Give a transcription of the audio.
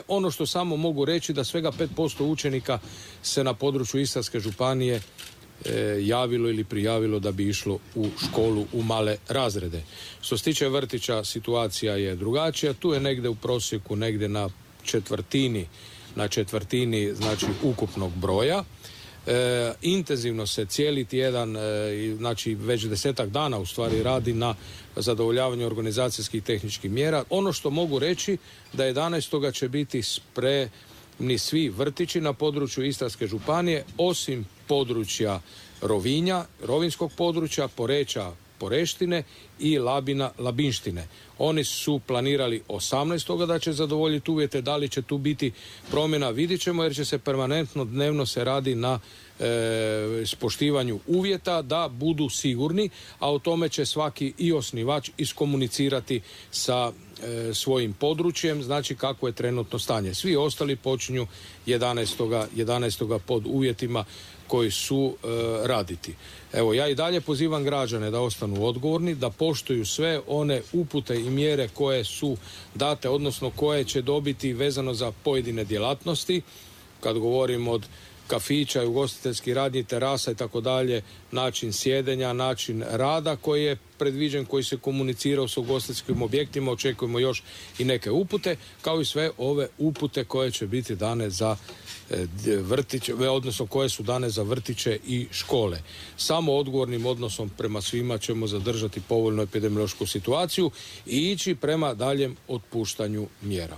Ono što samo mogu reći da svega 5% učenika se na području Istarske županije javilo ili prijavilo da bi išlo u školu u male razrede. Što se tiče vrtića, situacija je drugačija. Tu je negdje u prosjeku, negdje na četvrtini znači ukupnog broja. Intenzivno se cijeli tjedan, znači već 10-ak dana u stvari radi na zadovoljavanju organizacijskih i tehničkih mjera. Ono što mogu reći da 11. će biti spremni svi vrtići na području Istarske županije, osim područja Rovinja, rovinskog područja, Poreča, Poreštine i Labina, Labinštine. Oni su planirali 18. da će zadovoljiti uvjete. Da li će tu biti promjena, vidit ćemo, jer će se permanentno dnevno se radi na poštivanju uvjeta da budu sigurni, a o tome će svaki i osnivač iskomunicirati sa svojim područjem, znači kako je trenutno stanje. Svi ostali počinju 11. pod uvjetima koji su raditi. Evo, ja i dalje pozivam građane da ostanu odgovorni, da poštuju sve one upute i mjere koje su date, odnosno koje će dobiti vezano za pojedine djelatnosti. Kad govorim od kafića, ugostiteljskih radnji, terasa i tako dalje, način sjedenja, način rada koji je predviđen, koji se komunicirao s ugostiteljskim objektima, očekujemo još i neke upute, kao i sve ove upute koje će biti dane za vrtiće, odnosno koje su dane za vrtiće i škole. Samo odgovornim odnosom prema svima ćemo zadržati povoljnu epidemiološku situaciju i ići prema daljem otpuštanju mjera.